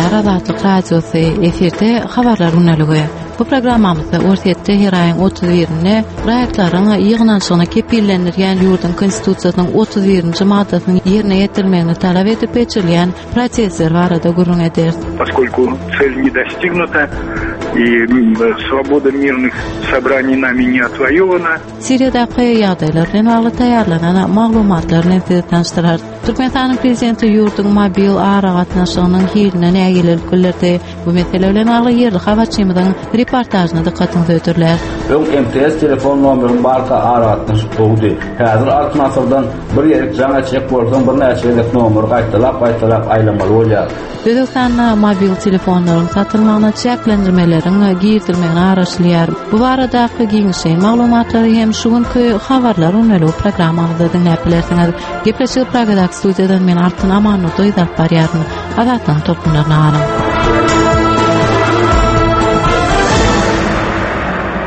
gepleýär Azatlyk Radiosy, efirde Habarlar gündeligi. Bu programmamyzda Orsýetde her aýyň 31-inde raýatlaryň ýygnanyşygyny kepillendirýän ýurduň Konstitusiýasynyň 31-nji maddasynyň ýerine ýetirilmegini talap edip geçirilýän protestler barada gürrüň ederis. Поскольку цель не достигнута и свобода мирных собраний нами не отвоевана. Siriýadaky ýagdaýlar bilen bagly taýýarlanan maglumatlar bilen sizi tanyşdyrarys. Türkmenistanyň Prezidenti ýurduň mobil aragatnaşygynyň hiline nägilelik bildirdi. Bu mesele bilen bagly ýerli habarçymyzyň reportažyna dykgatyňyzy hödürläris. Öň MTS telefon nomerim barka aragatnaşyk gowudy. Häzir Altyn asyrdan bir ýerik jaň etjek bolsaň birnäçe gezek nomeri gaýtalap-gaýtalap aýlamaly bolýar. Özbegistanda mobil telefonlaryň satylmagyna çäklendirmeleriň girizilmegine garaşylýar. Bu baradaky giňişleýin maglumatlary hem şu günki Habarlar gündeligi programmamyzda diňläp bilersiňiz. Gepleşigi Pragadaky studiýadan men Altyn Amannurdyýewa alyp barýaryn. Azatlygyň tolkunlaryna galyň.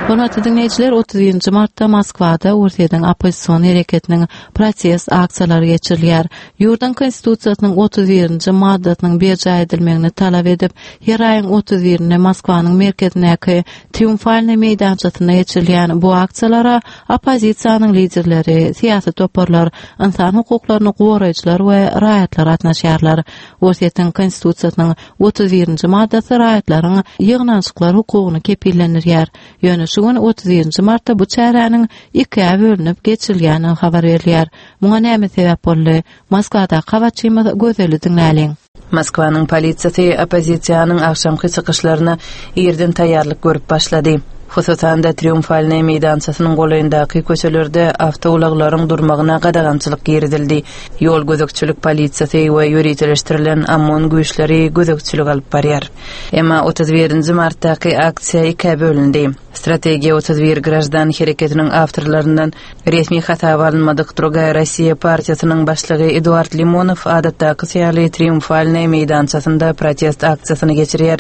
Hormatly diňleýjiler, 31-nji martda Moskwada Orsýetiň oppozision hereketiniň protest aksiýalary geçirilýär. Ýurduň Konstitusiýasynyň 31-nji maddasynyň berjaý edilmegini talap edip, her aýyň 31-inde Moskwanyň merkezindäki Triumfalnyý meýdançasynda geçirilýän bu aksiýalara oppozisiýanyň liderleri, syýasy toparlar, ynsan hukuklaryny goraýjylar we raýatlar gatnaşýarlar. Orsýetiň Konstitusiýasynyň 31-nji maddasy raýatlaryň ýygnanyşyklar hukugyny kepillendirýär. Ýöne şu gün 31-nji martda bu çäräniň ikä bölünip geçirilýändigi habar berilýär. Muňa näme sebäp boldy? Moskwadaky habarçymyz Gözeli diňläliň. Moskwanyň polisiýasy oppozisiýanyň agşamky çykyşlaryna irden taýýarlyk görüp başlady. Hususan-da, Triumfalnyý meýdançasynyň golaýyndaky köçelerde awtoulaglaryň durmagyna gadagançylyk girizildi. Ýol gözegçilik polisiýasy we ýöriteleşdirilen OMON güýçleri gözegçilik alyp barýar. Emma 31 nji martdaky aksiýa ikä bölündi. Strategiýa 31 graždan hereketiniň awtorlaryndan resmi hasaba alynmadyk Drugaýa Rossiýa partiýasynyň başlygy Eduard Limonow adatdakysy ýaly Triumfalnyý meýdançasynda protest aksiýasyny geçirýär.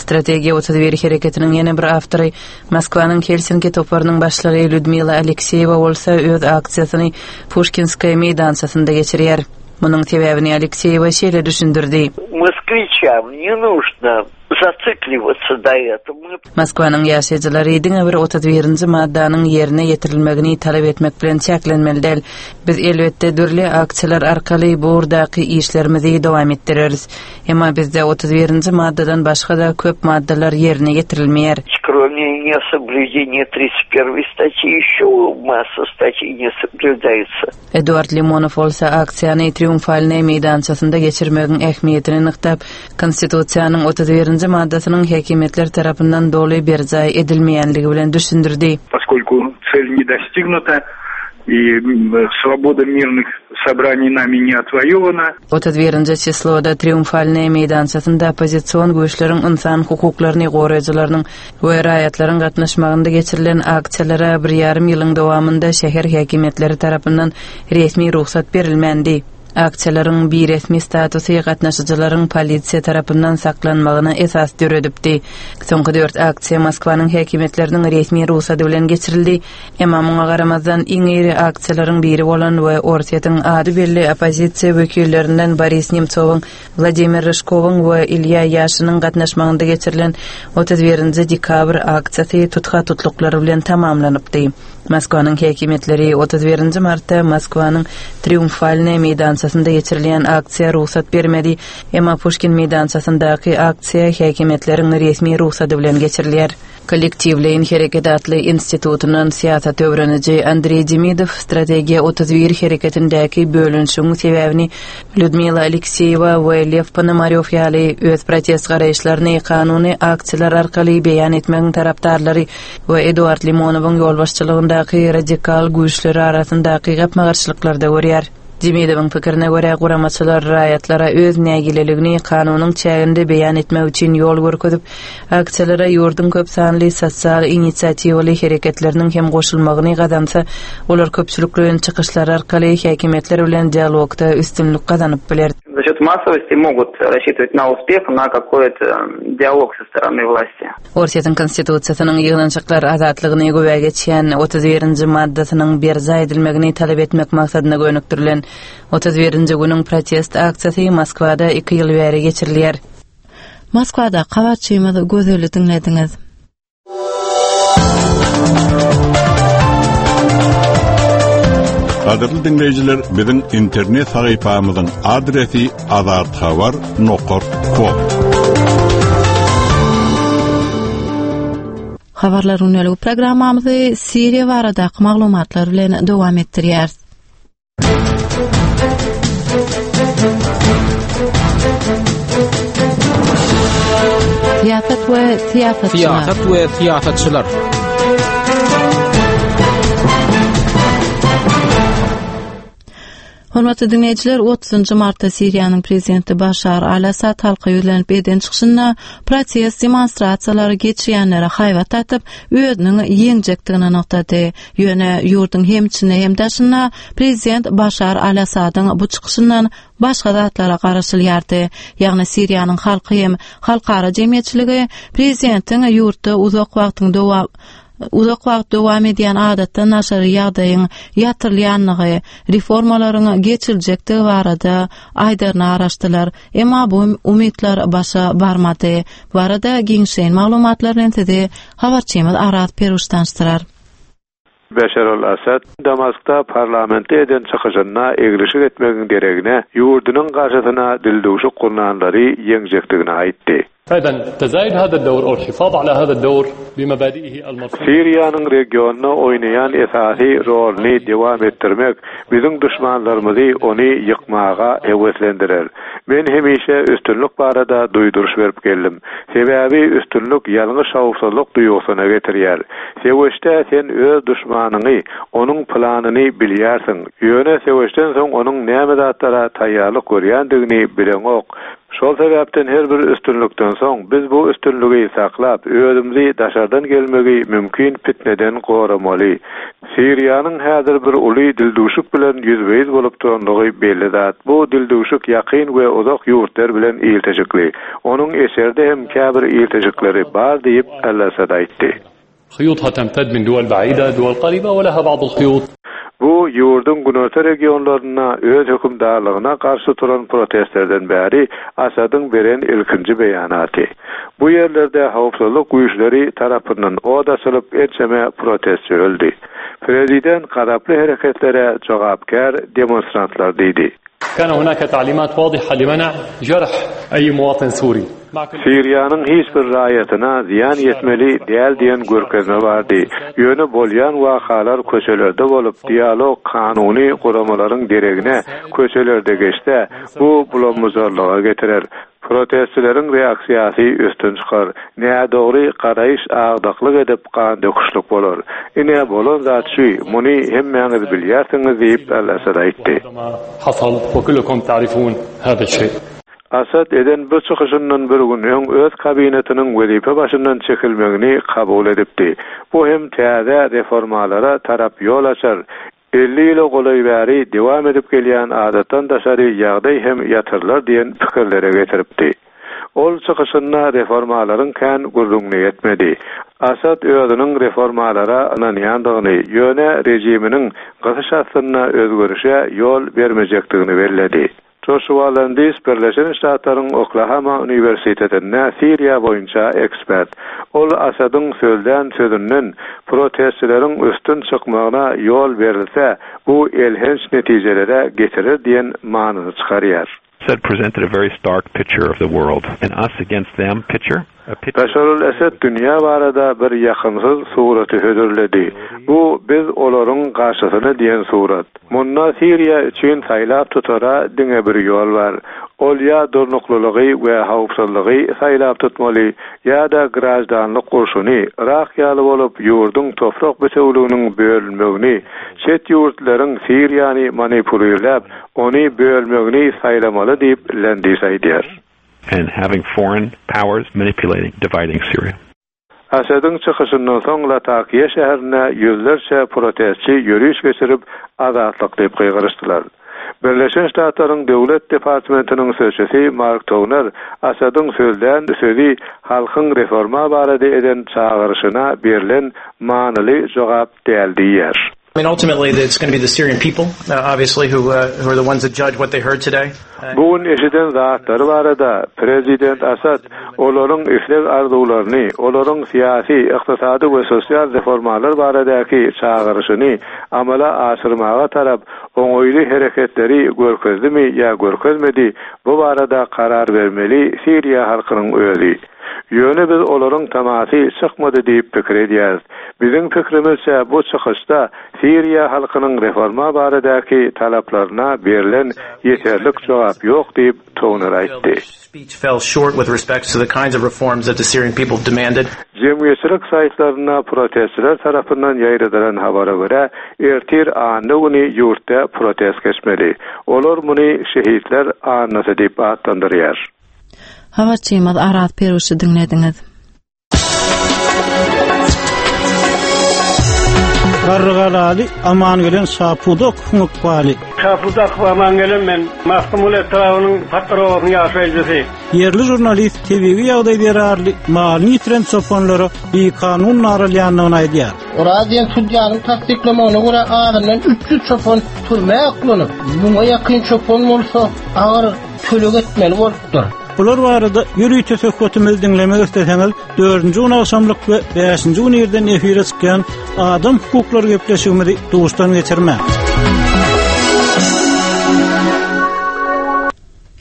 Strategiýa 31 hereketiniň ýene bir awtory, Moskwanyň Helsinki toparynyň başlygy Lýudmila Alekseýewa bolsa öz aksiýasyny Puşkinskaýa meýdançasynda geçirýär. Munuň sebäbini Alekseýewa şeýle düşündirdi. Moskwiçam ne нужно zacyklivаться na etom. Moskwanyň ýaşaýjylary diňe bir 31-nji maddanyň ýerine ýetirilmegini talap etmek bilen çäklenmeli däl. Biz, elbetde, dürli aksiýalar arkaly bu ugurdaky işlerimizi dowam etdireris. Emma bizde 31-nji maddadan başga-da köp maddalar ýerine ýetirilmeýär. Кроме несоблюдения 31 статьи, еще масса статей не соблюдается. Eduard Limonow bolsa aksiýany Triumfalnyý meýdançasynda geçirmegiň ähmiýetini nygtap, Konstitusiýanyň 31-nji maddasynyň häkimiýetler tarapyndan doly berjaý edilmeýänligi bilen düşündirdi. Poskольku цель не достигнута и swoboda mirnych sobraniý nami ne otwoýowana. 31-nji çisloda Triumfalnyý meýdançasynda oppozision güýçleriň ynsan hukuklaryny goraýjylarynyň we raýatlaryň gatnaşmagynda geçirilen aksiýalara bir ýarym ýylyň dowamynda şäher häkimiýetleri tarapyndan resmi rugsat berilmändi. Aksiýalaryň biresmi statusy gatnaşyjylaryň polisiýa tarapyndan saklanmagyna esas döredipdi. Soňky dört aksiýa Moskwanyň häkimiýetleriniň resmi rugsady bilen geçirildi, emma muňa garamazdan iň iri aksiýalaryň biri bolan we Orsýetiň ady belli oppozisiýa wekillerinden Boris Nemtsowyň Wladimir Ryžkowyň we Ilýa Ýaşiniň gatnaşmagynda geçirilen 31-nji dekabr aksiýasy tutha-tutluklar bilen tamamlanypdy. Moskwanyň häkimiýetleri 31-nji martda Moskwanyň Triumfalnyý meýdançasynda geçirilýän aksiýa rugsat bermedi, emma Puşkin meýdançasyndaky aksiýa häkimiýetleriň resmi rugsady bilen geçirilýär. Kollektiwleýin hereket atly institutyndan syýasat öwreniji Andreý Demidow Strategiýa 31 hereketindäki bölünişigiň sebäbini Lýudmila Alekseýewa we Lew Ponomarýow ýaly öz protest garaýyşlaryny kanuny aksiýalar arkaly beýan etmegiň tarapdarlary we Eduard Limonowyň ýolbaşçylygyndaky radikal güýçleri arasyndaky gapma-garşylyklarda görýär. Demidowyň pikirine görä, guramaçylar raýatlara öz nägileligini kanunyň çäginde beýan etmek üçin ýol görkezip, aksiýalara ýurduň köp sanly sosial inisiatiwaly hereketleriniň hem goşulmagyny gazansa, olar köpçülikleýin çykyşlar arkaly häkimiýetler bilen dialogda üstünlik gazanyp biler. За счет massowости могут рассчитывать на успех, на какой-то диалог со стороны власти. Orsýetiň Konstitusiýasynyň ýygnanyşyklar azatlygyny güwä geçýän 31-nji maddasynyň berjaý edilmegini talap etmek maksadyna gönükdirilen 31-nji günüň protest aksiýasy Moskwada iki ýyl bäri geçirilýär. Moskwadaky habarçymyz Gözeli diňlediňiz. Gadyrly diňleýjiler, biziň internet sahypamyzyň adresi azathabar nokat kom. Habarlar gündeligi programmamyzy Siriýa baradaky maglumatlar bilen dowam etdirýäris. Syýasat we syýasatçylar. Syýasat we syýasatçylar. Hormatly diňleýjiler, 30-njy martda Siriýanyň prezidenti Başar al-Assad halka ýüzlenip eden çykyşynda protest demonstrasiýalary geçirýänlere haýbat atyp, özüniň ýeňjekdigini nygtady. Ýöne ýurduň hem içinde hem daşynda prezident Başar al-Assadyň bu çykyşyndan başga zatlara garaşylýardy. Ýagny Siriýanyň halky hem halkara jemgyýetçiligi prezidentiň ýurtda uzak wagtyň dowam uzak wagt dowam edýän adatdan daşary ýagdaýyň ýatyrylýanlygy, reformalaryň geçiriljekdigi barada aýdaryna garaşdylar. Emma bu umytlar başa barmady. Bu barada giňişleýin maglumatlar bilen sizi habarçymyz Araz Peruş tanyşdyrar. Beşar al-Assad Damaskda parlamentde eden çykyşynda eglişik etmegiň deregine, ýurdunyň garşysyna dildüwşük gurnanlary ýeňjekdigini aýtdy. Siriýanyň regionda oýnaýan esasy roluny dowam etdirmek biziň duşmanlarymyzy ony ýykmaga höweslendirer. Men hemişe üstünlik barada duýduryş berip geldim. Sebäbi üstünlik ýalňyş howpsuzlyk duýgusyna getirýär. Söweşde sen öz duşmanyňy, onuň planyny bilýärsiň, ýöne söweşden soň onuň näme zatlara taýýarlyk görýändigini bileňok. Şol sebäpden her bir üstünlikden soň biz bu üstünligi saklap, özümizi daşardan gelmegi mümkin pitneden goramaly. Siriýanyň häzir bir uly dildüwşük bilen ýüzbe-ýüz bolup duranlygy belli zat. Bu dildüwşük ýakyn we uzak ýurtlar bilen ilteşikli. Onuň eşerde hem käbir ilteşikleri bar diýip, al-Assad aýtdy. Bu ýurduň günorta regionlarynda öz hökümdarlygyna garşy turan protestlerden bäri Assadyň beren ilkinji beýanaty. Bu ýerlerde howpsuzlyk güýçleri tarapyndan od açylyp, ençeme protestçi öldi. Prezident gazaply hereketlere jogapkär demonstrantlar diýdi. Siriýanyň hiç bir raýatyna zyýan ýetmeli däl diýen görkezme bardy. Ýöne bolýan wakalar köçelerde bolup, dialog kanuny guramalaryň deregine köçelerde geçse, bu bulam-bujarlyga getirer. Protestçileriň reaksiýasy üstün çykar. Nädogry garaýyş agdaklyk edip, gandöküşlik bolar. Ine, bolan zat şu, muny hemmäňiz bilýärsiňiz diýip, al-Asad aýtdy. Asad eden bu çykyşyndan bir gün öň öz kabinetiniň wezipe başyndan çekilmegini kabul edipdi. Bu hem täze reformalara tarap ýol açar. 50 ýyla golaý bäri dowam edip gelýän adatdan daşary ýagdaý hem ýatyrylar diýen pikirlere getiripdi. Ol çykyşynda reformalaryň kän gürrüňini etmedi. Asad özüniň reformalara ynanýandygyny, ýöne režiminiň gysyş astynda özgerişe ýol bermejekdigini belledi. Joşua Landis Birleşen Ştatlaryň Oklahama uniwersitetinde Siriýa boýunça ekspert. Ol Asadyň sözlän sözünden protestçileriň üstün çykmagyna ýol berilse, bu elhenç netijelere getirer diýen manyny çykarýar. Assad presented a very stark picture of the world, an us against them picture, a picture. Başar al-Esed dünýä barada bir ýakymsyz suraty hödürledi. Bu biz olaryň garşysyna diýen surat. Munda Siriýa üçin saýlap tutara diňe bir ýol bar. Ol ýa durnuklylygy we howpsuzlygy saýlap tutmaly, ýa-da graždanlyk urşuny, Yrak ýaly bolup ýurduň toprak bitewliginiň bölünmegini, çet ýurtlaryň Siriýany manipulirläp, ony bölmegini saýlamaly diýip, Landis aýdýar. And having foreign powers manipulating, dividing Syria. Asadyň çykyşyndan soň Latakiýa şäherinde ýüzlerçe protestçi ýöriş geçirip, Azatlyk diýip gygyryşdylar. Birleşen Ştatlaryň Döwlet departamentiniň sözçüsi Mark Toner Asadyň sözlän sözi halkyň reforma barada eden çagyryşyna berlen manyly jogap däl diýýär. I mean ultimately it's going to be the Syrian people uh, obviously who uh, who are the ones that judge what they heard today. Bu gün eşiden zatlary barada prezident Asad olaryň isleg-arzuwlaryny, olaryň syýasy, ykdysady we sosial reformalar baradaky çagyryşyny amala aşyrmaga tarap oňaýly hereketleri görkezdimi ýa görkezmedi, bu barada karar bermeli Siriýa halkynyň özi. Ýöne biz olaryň tamasy çykmady diýip pikir edýäris. Biziň pikrimizçe bu çykyşda Siriýa halkynyň reforma baradaky talaplaryna berlen ýeterlik jogap ýok diýip, Toner aýtdy. Jemgyýetçilik saýtlarynda protestçiler tarapyndan ýaýradylan habara görä, ertir anna güni ýurtda protest geçmeli. Olar muny Şehitler annasy diýip atlandyrýar. Habarçymyz Araz Peruşy diňlediňiz. Garrygalaly Amangelen Şapudakowyň ykbaly. Şapudakow Amangelen men, Magtymguly etrabynyň Patdyr obasynyň ýaşaýjysy. Ýerli žurnalist tebigy ýagdaý zerarly malyny ýitiren çopanlara bikanun naralýandygyny aýdýar. Oraz diýen sudýanyň tassyklamagyna görä, azyndan 300 çopan türmä oklanyp, müňe ýakyn çopan bolsa agyr töleg etmeli bolupdyr. Bular barada ýörite söhbetimizi diňlemek isleseňiz, dördünji gün agşamlyk we bäşinji gün irden efire çykýan Adam hukuklary gepleşigimizi duşdan geçirmäň.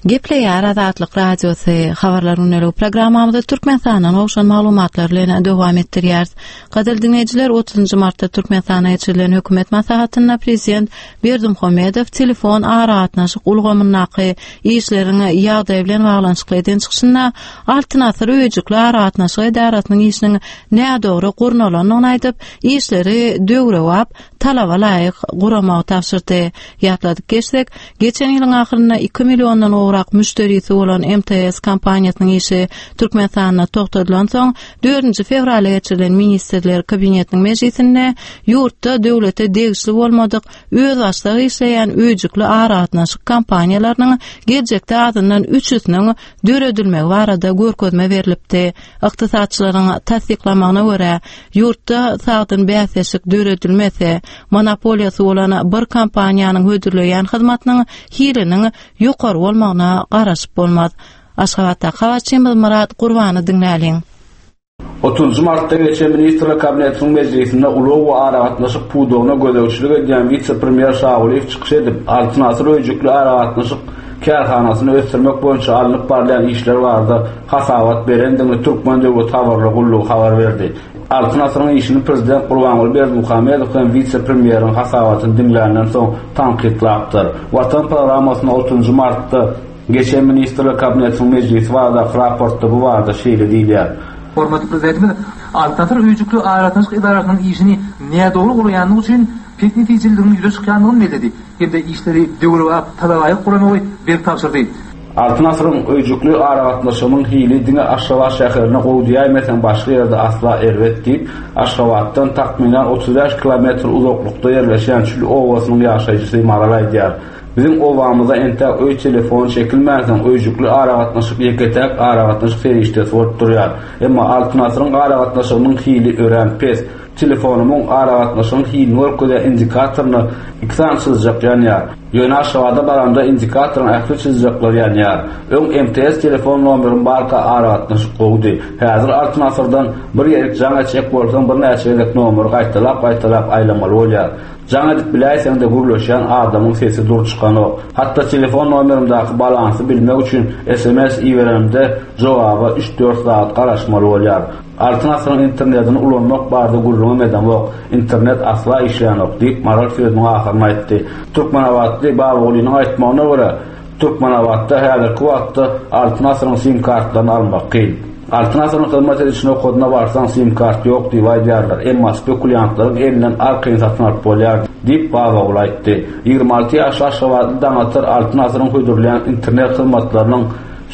Gepleýär Azatlyk Radiosy, Habarlar gündeligi programmamyzy Türkmenistandan gowşan maglumatlar bilen dowam etdirýäris. Gadyrly diňleýjiler, 30-njy martda Türkmenistanda geçirilen hökümet maslahatynda prezident Berdimuhamedow telefon aragatnaşyk ulgamyndaky işleriň ýagdaýy bilen baglanyşykly eden çykyşynda Altyn asyr öýjükli aragatnaşyk edarasynyň işiniň nädogry gurnalandygyny aýdyp, işleri döwrebap talaba laýyk guramagy tabşyrdy. Ýatladyp geçsek, geçen ýylyň ahyrynda iki milliondan gowrak müşderisi bolan MTS kompaniýasynyň işi Türkmenistanda togtadylansoň, dördünji fewralda geçirilen Ministrler Kabinetiniň mejlisinde ýurtda döwlete degişli bolmadyk özbaşdak işleýän öýjükli aragatnaşyk kompaniýalarynyň geljekde azyndan üçüsiniň döredilmegi barada görkezme berlipdi. Ykdysatçylaryň tassyklamagyna görä, ýurtda sagdyn bäsleşik döredilmese, monopoliýasy bolan bir kompaniýanyň hödürleýän hyzmatynyň hiliniň ýokary bolmagyna garaşyp bolmaz. Aşgabatdaky habarçymyz Myrat Gurbany diňläliň. Otuzynjy martda geçen Ministrler Kabinetiniň mejlisinde ulag we aragatnaşyk pudagyna gözegçilik edýän wise-premýer Şagulyýew çykyş edip, Altyn asyr öýjükli aragatnaşyk kärhanasyny ösdürmek boýunça alnyp barylýan işler barada hasabat berendigini Türkmen döwlet habarlar gullugy habar berdi. Altyn asyryň işini prezident Gurbanguly Berdimuhamedow hem wise-premýeriň hasabatyny diňländen soň tankytlapdyr. Watan programmasynda otuzynjy martda Geçen Ministrler Kabinetiniň mejlisi baradaky raportda bu barada şeýle diýilýär. Hormatly Prezidentimiz Altyn asyr öýjükli aragatnaşyk edarasynyň işini nädogry guraýandygy üçin pes netijeliligiň ýüze çykýandygyny belledi hem-de işleri döwrebap, talabalaýyk guramagy berk tabşyrdy. Altyn asyryň öýjükli aragatnaşygynyň hili diňe Aşgabat şäherinde gowy diýäýmeseň başga ýerde asla erbet diýip, Aşgabatdan takmynan 35 kilometr uzaklykda ýerleşýän Çül obasynyň ýaşaýjysy Maral aýdýar. Biziň obamyza entäk öý telefony çekilmänsoň, öýjükli aragatnaşyk ýeke-täk aragatnaşyk serişdesi bolup durýar. Emma Altyn asyryň aragatnaşygynyň hili örän pes. Telefonymyň aragatnaşygyň hilini görkezýän indikatoryna iki sany çyzyjak ýanýar. Ýöne Aşgabada baramda indikatoryň ähli çyzyjaklary ýanýar. Öň MTS telefon nomerim barka aragatnaşyk gowudy. Häzir Altyn asyrdan bir ýerik jaň etjek bolsaň birnäçe gezek nomeri gaýtalap-gaýtalap aýlamaly bolýar. Jaň edip biläýseň-de gürleşýän adamyň sesi dur çykanok. Hatda telefon nomerimdäki balansy bilmek üçin sms iberenimde jogaba üç-dört sagat garaşmaly bolýar. Altyn asyryň internedini ulanmak barada gürrüňem edemok. Internet asla işlänok, diýip, Maral sözüniň ahyryny aýtdy. Türkmenabatly Babagulynyň aýtmagyna görä, Türkmenabatda häzirki wagtda Altyn asyryň sim kartlaryny almak kyn. Altyn asyryň hyzmat ediş nokadyna barsaň sim kart ýok diýip aýdýarlar, emma spekulýantlaryň elinden arkaýyn satyn alyp bolýar, diýip, Babaguly aýtdy. 26 ýaşly aşgabatly Daňatar Altyn asyryň hödürleýän internet hyzmatlarynyň.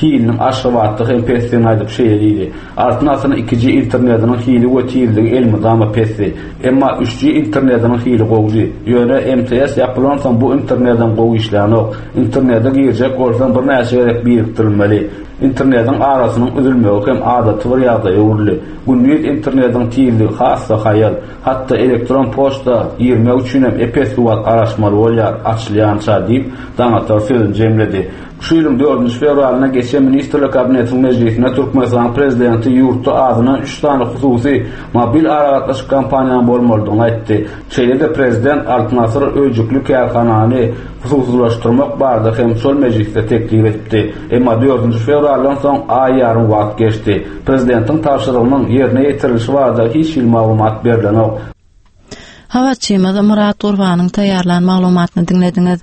Hiliniň Aşgabatda hem pesdigini aýdyp şeýle diýdi, Altyn asyryň 2G internetiniň hili we tizligi elmydama pesdi. Emma 3G internetiniň hili gowudy. Ýöne MTS ýapylansoň bu internedem gowy işlänok. Internete girjek bolsaň birnäçe gezek birikdirilmeli. Internetiň arasynyň üzülmegi hem adaty bir ýagdaýa öwrüldi. Gündiz internetiň tizligi has-da haýal. Hatda elektron poçta girmek üçinem ep-esli wagt garaşmaly bolýar, açylýança diýip, Daňatar sözüni jemledi. Şu ýylyň dördünji fewralynda geçen Ministrler Kabinetiniň mejlisinde Türkmenistanyň Prezidenti ýurtda azyndan üç sany hususy mobil aragatnaşyk kompaniýanyň bolmalydygyny aýtdy. Şeýle-de prezident Altyn Asyr öýjükli kärhanany hususylaşdyrmak barada hem şol mejlisde teklip edipdi. Emma dördünji fewraldan soň aý ýarym wagt geçdi. Prezidentiň tabşyrygynyň ýerine ýetirilişi barada hiç hili maglumat berlenok. Habarçymyz Myrat Gurbanyň taýýarlan maglumatyny diňlediňiz.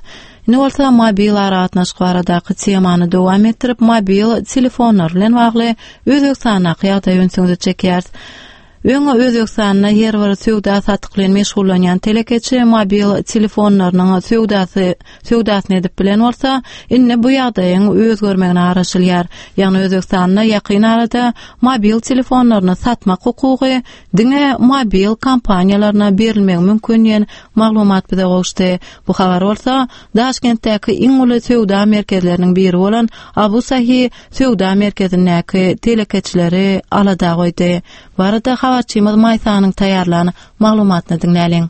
Indi bolsa mobil aragatnaşyk baradaky temany dowam etdirip, mobil telefonlar bilen bagly Özbegistandaky ýagdaýa ünsüňizi çekýäris. Öň Özbegistanda her bir söwda-satyk bilen meşgullanýan telekeçi mobil telefonlarynyň söwdasy söwdasyny edip bilen bolsa, indi bu ýagdaýyň özgermegine garaşylýar. Ýagny Özbegistanda ýakyn arada mobil telefonlaryny satmak hukugy diňe mobil kompaniýalaryna berilmegi mümkin diýen maglumat bize gowuşdy. Bu habar bolsa Daşkentdäki iň uly söwda merkezleriniň biri bolan Abu Sahi söwda merkezindäki telekeçileri alada goýdy. Bu barada habarçymyz Maýsanyň taýýarlan maglumatyny diňläliň.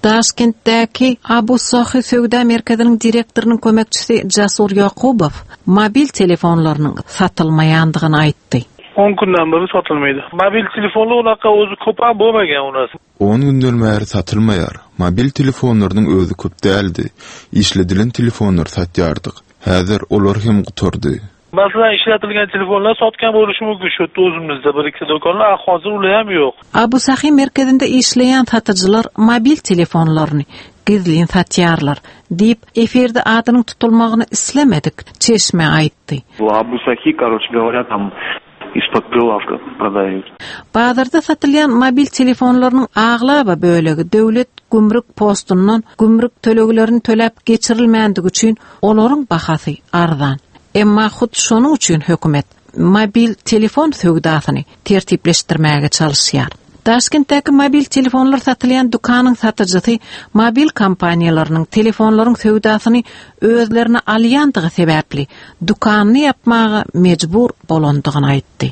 Daşkentdäki Abu Sahi söwda merkeziniň direktorynyň kömekçisi Jasur Ýakubow mobil telefonlarynyň satylmaýandygyny aýtdy. On günden beri satylmaýdy. Mobil telefonlar unaqa özi köpem bolmagan u nas. On günden bäri satylmaýar. Mobil telefonlarynyň özi köp däldi. Işledilen telefonlary satýardyk. Häzir olar hem gutardy. Masalan işletilgen telefonlar satgan bo'lishi mumkin shu yerda o'zimizda bir ikki do'konlar a hozir ular ham yo'q. Abu Sahi merkezinde işleýän satyjylar mobil telefonlaryny gizlin satýarlar, diýip, efirde adynyň tutulmagyny islemedik çeşme aýtdy. Abu Sahi, koroçe goworýa, tam Iz-pod prilawka prodaýut. Bazarda satylýan mobil telefonlarynyň aglaba bölegi döwlet gümrük postundan gümrük töleglerini töläp geçirilmändigi üçin olaryň bahasy arzan. Emma hut şonuň üçin hökümet mobil telefon söwdasyny tertipleşdirmäge çalyşýar. Daşkentdäki mobil telefonlar satylýan dükanyň satyjysy mobil kompaniýalarynyň telefonlaryň söwdasyny özlerine alýandygy sebäpli dükanyny ýapmaga mejbur bolandygyny aýtdy.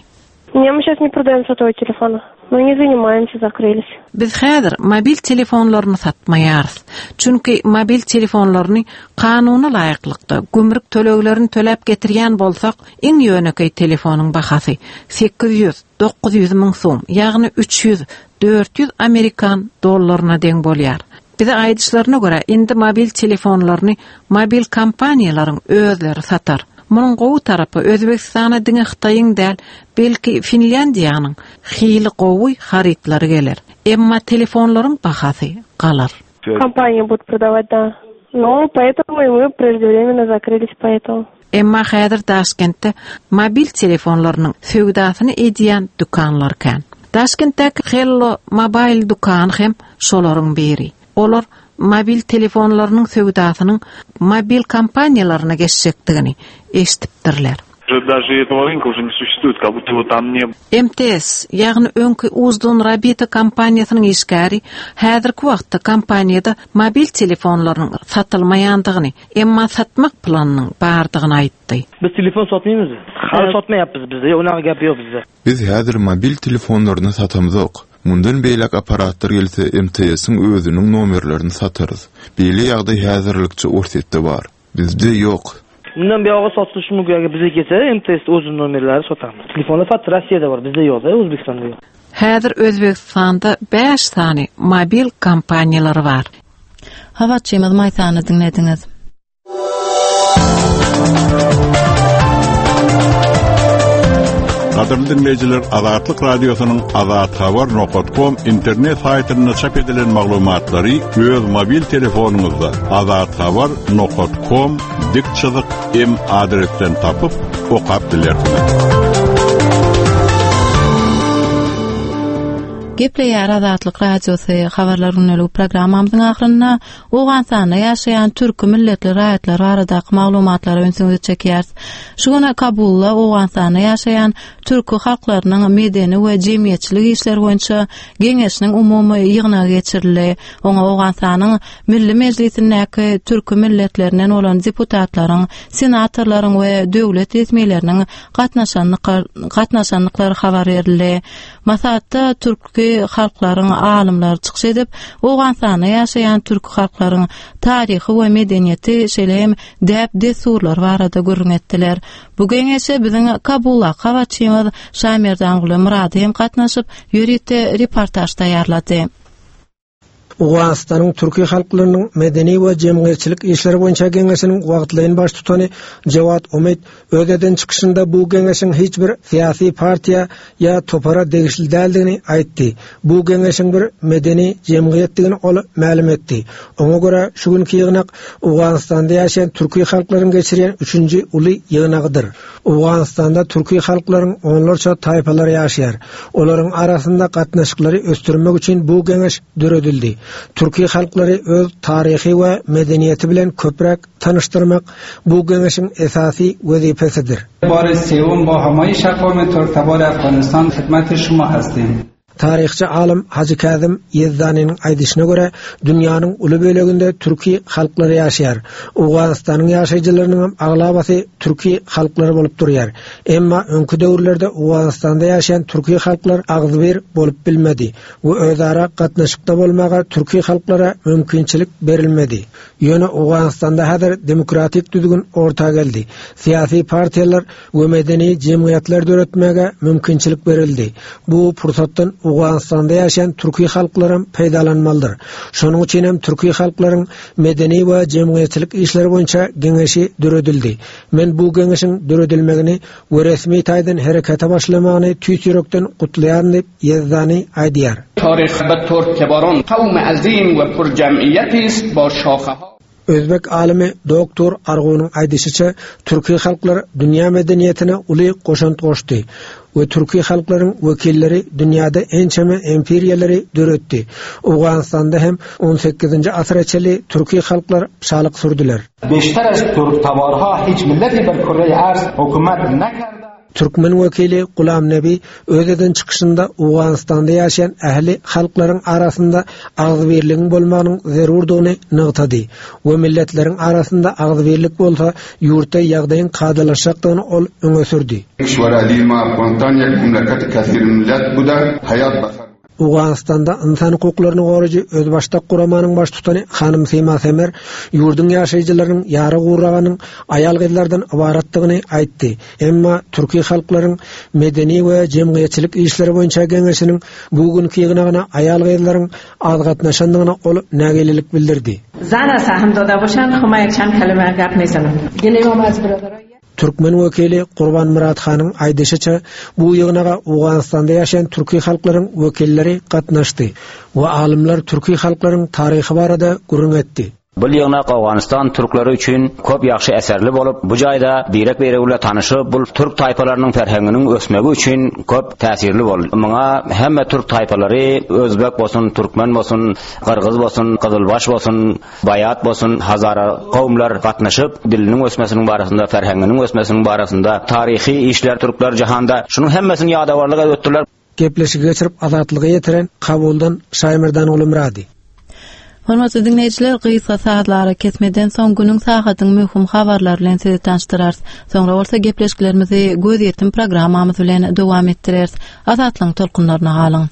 Ne, мы сейчас не продаем сотовые телефоны. Мы не занимаемся, закрылись. Biz häzir mobil telefonlaryny satmaýarys. Çünki mobil telefonlaryny kanuna laýyklykda gümrük töleglerini töläp getirýän bolsak, iň ýönekeý telefonyň bahasy 800, 900 müň sum, ýagny 300, 400 amerikan dollaryna deň bolýar. Bize aýdyşlaryna görä, indi mobil telefonlaryny mobil kompaniýalaryň özleri satar. Munuň gowy tarapy, Özbegistana diňe Hytaýyň däl, belki Finlýandiýanyň hili gowy harytlary geler. Emma telefonlaryň bahasy galar. Kompaniýa будут продавать, да. Но поэтому и мы преждевременно закрылись поэтому. Emma häzir Daşkentde mobil telefonlarynyň söwdasyny edýän dükanlar kän. Daşkentdäki Hello Mobile dükany hem şolaryň biri. Olar mobil telefonlarynyň söwdasynyň mobil kompaniýalaryna geçjekdigini eşidipdirler. Daže этого rynka уже ne suşestwuýet, kak budto ýego tam ne. MTS, ýagny öňki Uzdun Rabita kompaniýasynyň işgäri häzirki wagtda kompaniýada mobil telefonlarynyň satylmaýandygyny, emma satmak planynyň bardygyny aýtdy. Biz telefon satmaýmyz. Hali satmaýapyz bizde unaqa gap ýok bizde. Biz häzir mobil telefonlaryny satamzok. Mundan beýläk apparatlar gelse MTS-iň özüniň nomerlerini satarys. Beýle ýagdaý häzirlikçe Orsýetde bar. Bizde ýok. Mundan buýog'i sotilishi mumkin agar bizga kelsa MTS o'zini nomerlari sotamiz. Telefonlar faqat Rossiyada bor, bizda yo'q-da, O'zbekistonda yo'q. Häzir Özbegistanda bäş sany mobil kompaniýalary bar. Habarçymyz Maýsany diňlediňiz. Gadyrly diňleýjiler, Azatlyk Radiosynyň Azathabar nokat kom internet saýtynda çap edilen maglumatlary öz mobil telefonyňyzda Azathabar nokat kom dik çyzyk m adresden tapyp, okap bilersiňiz. Gepleýär Azatlyk Radiosy Habarlar gündeligi programmamyzyň ahyrynda Owganystanda ýaşaýan türki milletli raýatlar baradaky maglumatlara ünsüňizi çekýäris. Şu gün Kabulda Owganystanda ýaşaýan türki halklarynyň medeni we jemgyýetçilik işleri boýunça Geňeşiniň umumy ýygnagy geçirildi. Oňa Owganystanyň Milli Mejlisindäki türki milletlerinden bolan deputatlaryň, senatorlaryň we döwlet resmileriniň gatnaşandyklary habar berildi. Maslahatda türki halklaryň alymlary çykyş edip, Owganystanda ýaşaýan türki halklaryň taryhy we medeniýeti, şeýle hem däp-dessurlary barada gürrüň etdiler. Bu geňeşe biziň Kabuldaky habarçymyz Şamerdanguly Myrady hem gatnaşyp, ýörite reportaž taýýarlady. Owganystanyň türki halklarynyň medeni we jemgyýetçilik işleri boýunça geňeşiniň wagtlaýyn baştutany Jawad Umid öz eden çykyşynda bu geňeşiň hiç bir syýasy partiýa ýa topara degişli däldigini aýtdy. Bu geňeşiň bir medeni jemgyýetdigini ol mälim etdi. Oňa görä, şu günki ýygnak Owganystanda ýaşaýan türki halklaryň geçirýän üçünji uly ýygnagydyr. Owganystanda türki halklaryň onlarça taýpalary ýaşaýar. Olaryň arasynda gatnaşyklary ösdürmek üçin bu geňeş döredildi. Türki halklary öz taryhy we medeniýeti bilen köpräk tanyşdyrmak bu geňeşiň esasy wezipesidir. Bary sewum bo hamaýyş akvamy türk-tabar Afganistan hidmeti şuma hastim. Taryhçy alym Hajy Käzim Ýezdanynyň aýdyşyna görä, dünýäniň uly böleginde türki halklary ýaşaýar. Owganystanyň ýaşaýjylarynyňam aglabasy türki halklary bolup durýar. Emma öňki döwürlerde Owganystanda ýaşaýan türki halklar agzybir bolup bilmedi we özara gatnaşykda bolmaga türki halklara mümkinçilik berilmedi. Ýöne Owganystanda häzir demokratik düzgün orta geldi. Syýasy partiýalar we medeni jemgyýetler döretmäge mümkinçilik berildi. Bu pursatdan Owganystanda ýaşaýan türki halklaram peýdalanmalydyr. Şonuň üçin hem türki halklaryň medeni we jemgyýetçilik işleri boýunça geňeşi döredildi. Men bu geňeşiň döredilmegini we resmi taýdan herekete başlamagyny tüýs ýürekden gutlaýaryn diýip, Ýezdani aýdýar. Taryh be türk-tebaron kawm-i azim we pür-jem'iýet ist bo şaheha. Özbek alymy doktor Argunyň aýdyşyça, türki halklar dünýä medeniýetine uly goşant goşdy we türki halklaryň wekilleri dünýäde ençeme imperiýalary döretdi. Owganystanda hem on sekizinji asyra çenli türki halklar şalyk sürdüler. Beşter az türk-tabarha hiç milleti ber kürre-i arz hükümet nekerde. Türkmen wekili Gulam Nebi öz eden çykyşynda Owganystanda ýaşaýan ähli halklaryň arasynda agzybirligiň bolmagynyň zerurdygyny nygtady we milletleriň arasynda agzybirlik bolsa ýurtda ýagdaýyň kadalaşjakdygyny ol öňe sürdi. Kişwer Alima Afganistan ýek memleket kesirmillet buda haýat basar. Owganystanda ynsan hukuklaryny goraýjy özbaşdak guramanyň baştutany hanym Sima Semer ýurduň ýaşaýjylarynyň ýary gurragynyň aýal-gyzlardan ybaratdygyny aýtdy. Emma türki halklaryň medeni we jemgyýetçilik işleri boýunça geňeşiniň bu günki ýygnagyna aýal-gyzlaryň az gatnaşandygyna ol nägilelik bildirdi. Zana sahym doda boşan huma ýek çand kelime gap mezanim. Geleýom az biradara. Türkmen wekili Gurbanmyrat hanyň aýdyşyça, bu ýygnaga Owganystanda ýaşaýan türki halklaryň wekilleri gatnaşdy we alymlar türki halklaryň taryhy barada gürrüň etdi. Bul ýygnak Owganystan türkleri üçin köp ýagşy eserli bolup, bu jaýda birek-biregi bile tanyşyp, bul türk taýpalarynyň ferhenginiň ösmegi üçin köp täsirli boldy. Muňa hemme türk taýpalary, özbek bolsun, türkmen bolsun, gyrgyz bolsun, gyzylbaş bolsun, Baýat bolsun, hazara kowumlar gatnaşyp, diliniň ösmesiniň barasynda, ferhenginiň ösmesiniň barasynda, taryhy işler türkler jahanda, şunuň hemmesini ýadawarlyk edip ötdüler. Gepleşigi geçirip Azatlyga ýetiren Kabuldan Şaýmerdanguly Myrady. Hormatly diňleýjiler, gysga sazly arakesmeden soň günüň sagadyň möhüm habarlary bilen sizi tanyşdyrarys. Soňra bolsa gepleşiklerimizi Gözýetim programmamyz bilen dowam etdireris. Azatlygyň tolkunlaryna galyň.